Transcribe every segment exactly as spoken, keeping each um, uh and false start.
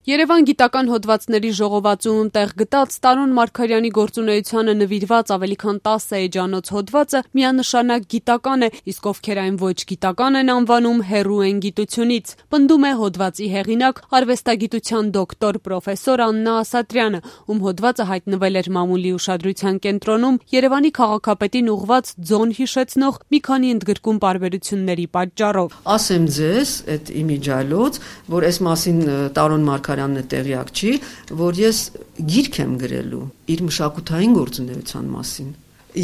Երևան գիտական հոդվածների ժողովածուում տեղ գտած Տարոն Մարգարյանի գործունեությանը նվիրված ավելի քան տասը էջանոց հոդվածը միանշանակ գիտական է, իսկ ովքեր այն ոչ գիտական են անվանում, հեռու են գիտությունից, պնդում է հոդվածի հեղինակ, արվեստագիտության դոկտոր պրոֆեսոր Աննա Ասատրյանը, ում հոդվածը հայտնվել էր մամուլի ուշադրության կենտրոնում Երևանի քաղաքապետին ուղղված ձոն հիշեցնող մի քանի ընդգրկում պարբերությունների պատճառով։ Ասեմ ձեզ, այդ իմիջալոց, որ այս մասին Տարոն Մարգարյանն տեղյակ չի, որ ես գիրք եմ գրելու իր մշակութային գործունեության մասին։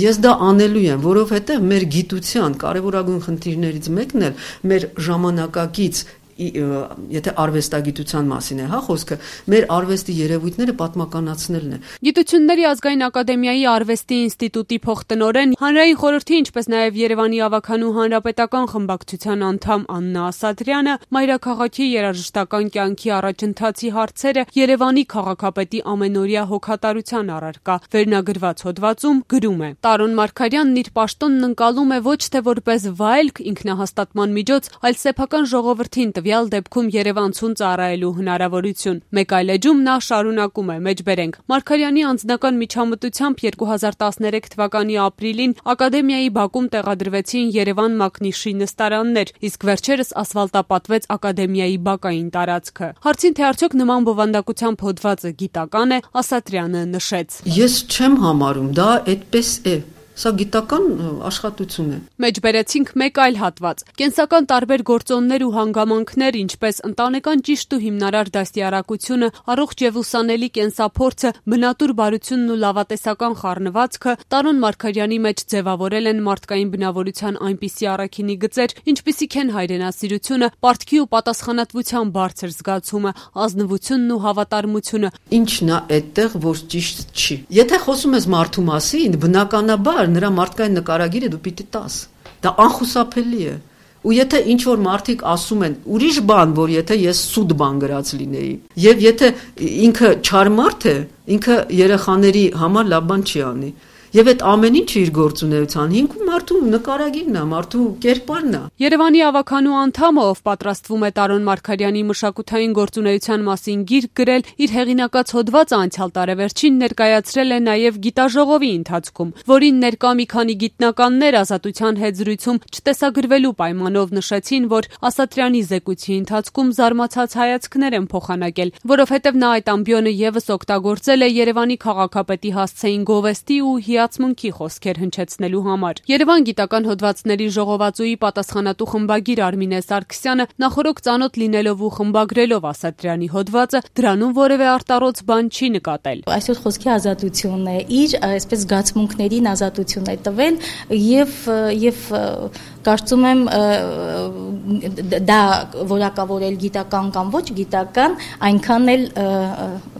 Ես դա անելու եմ, որովհետև մեր գիտության կարևորագույն խնդիրներից մեկն էլ մեր ժամանակակից եթե արվեստագիտության մասին է, հա, խոսքը, մեր արվեստի երևույթները պատմականացնելն է։ Գիտությունների ազգային ակադեմիայի արվեստի ինստիտուտի փոխտնօրեն, հանրային խորհրդի, ինչպես նաև Երևանի ավագանու հանրապետական խմբակցության անդամ Աննա Ասատրյանը մայրաքաղաքի երաժշտական կյանքի առաջընթացի հարցերը Երևանի քաղաքապետի ամենօրյա հոգատարության առարկա վերնագրված հոդվածում գրում է. Տարոն Մարգարյանն իր պաշտոնն ընկալում է ոչ թե որպես վայելք, ինքնահաստատման միջոց, այլ սեփական ժողովրդին տվյալ դեպքում երևանցուն ծառայելու հնարավորություն։ Մեկ այլ էջում նա շարունակում է. մեջբերենք Մարգարյանի անձնական միջամտությամբ երկու հազար տասներեք թվականի ապրիլին ակադեմիայի բակում տեղադրվեցին Երևան Մակնիշի նստարաններ, իսկ վերջերս ասֆալտապատվեց ակադեմիայի բակային տարածքը։ Հարցին թե արդյոք նման բովանդակությամբ հոդվածը գիտական է, Ասատրյանը նշեց. Ես չեմ համարում, դա այդպես է։ Սա գիտական աշխատություն է։ Մեջբերեցինք մեկ այլ հատված. կենսական տարբեր գործոններ ու հանգամանքներ, ինչպես ընտանեկան ճիշտ ու հիմնարար դաստիարակությունը, առողջ եւ ուսանելի կենսափորձը, բնատուր բարությունն ու լավատեսական խառնվածքը Տարոն Մարգարյանի մեջ ձևավորել են մարդկային բնավորության այնպիսի առաքինի գծեր, ինչպիսիք են հայրենասիրությունը, պարտքի ու պատասխանատվության բարձր զգացումը, ազնվությունն ու հավատարմությունը։ Ինչն է այդտեղ, որ ճիշտ չի։ Եթե խոսում ես մարդու մասին, բնականաբար նրա մարդկային նկարագիրը դու պիտի տաս։ Դա անխուսափելի է։ Ու եթե ինչ որ մարդիկ ասում են ուրիշ բան, որ եթե ես սուտ բան գրած լինեի, եւ եթե ինքը չար մարդ է, ինքը երեխաների համար լավ բան չի անի։ Եվ այդ ամեն ինչը իր գործունեության հիմքում մարդու նկարագիրն է, մարդու կերպարն է։ Երևանի ավագանու անդամը, ով պատրաստվում է Տարոն Մարգարյանի մշակութային գործունեության մասին գիրք գրել, իր հեղինակած հոդվածը անցյալ տարեվերջին ներկայացրել է նաև գիտաժողովի ընթացքում, որին ներկա մի քանի գիտնականներ Ազատության հետ զրույցում չտեսագրվելու պայմանով նշեցին, որ Ասատրյանի զեկույցի ընթացքում զարմացած հայացքներ են փոխանակել, որովհետև նա այդ ամբիոնը եւս օգտագործել է Երևանի քաղաքապետի հասցեին գովեստի ու հիացմունքի խոսքեր հնչեցնելու համար։ Երևան գիտական հոդվածների ժողովածուի պատասխանատու խմբագիր Արմինե Սարգսյանը նախորոք ծանոթ լինելով ու խմբագրելով Ասատրյանի հոդվածը դրանում որևէ արտառոց բան չի նկատել։ Այսօր խոսքի ազատությունն է, իր այսպես զգացմունքներին ազատություն է տվել եւ եւ կարծում եմ դա որակավորել գիտական կամ ոչ գիտական այնքան էլ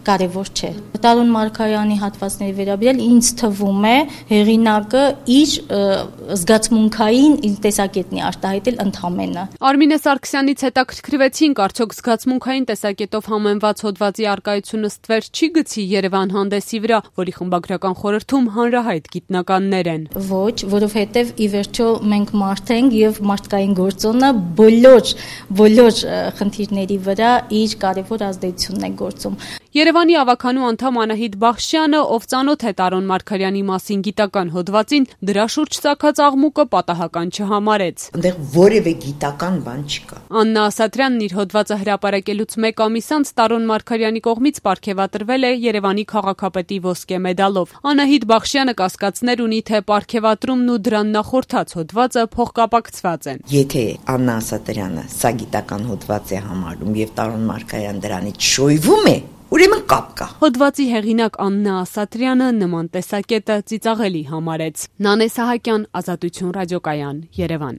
կարևոր չէ։ Տարոն Մարգարյանի հատվածների վերաբերյալ ինձ թվում է հեղինակը իր զգացմունքային տեսակետն է արտահայտել ընդհանրապես։ Արմինե Սարգսյանից հետաքրքրվեցինք, արդյոք զգացմունքային տեսակետով համեմված հոդվածի արկայությունը ստվեր չի գցի Երևան հանդեսի վրա, որի խմբագրական խորհրդում հանրահայտ գիտնականներ են։ Ոչ, որովհետև ի վերջո մենք մարդ ենք եւ մարդկային գործոնը բոլոր բոլոր խնդիրների վրա իր կարևոր ազդեցությունն է գործում։ Երևանի ավագանու անդամ Անահիտ Բախշյանը, ով ծանոթ է Տարոն Մարգարյանի մասին գիտական հոդվածին, դրա շուրջ ծագած աղմուկը պատահական չհամարեց։ Այնտեղ որևէ գիտական բան չկա։ Աննա Ասատրյանն իր հոդվածը հրապարակելուց մեկ ամիս անց Տարոն Մարգարյանի կողմից պարգևատրվել է Երևանի քաղաքապետի ոսկե մեդալով։ Անահիտ Բախշյանը կասկածներ ունի, թե պարգևատրումն ու դրան նախորդած հոդվածը փոխկապակցված են։ Եթե Աննա Ասատրյանը սա գիտական հոդված է համարում եւ Տարոն Մարգարյան դրանից շոյվում է, ուրեմն կապ կա։ Հոդվածի հեղինակ Աննա Ասատրյանը նման տեսակետը ծիծաղելի համարեց։ Նանե Սահակյան, Ազատություն ռադիոկայան, Երևան։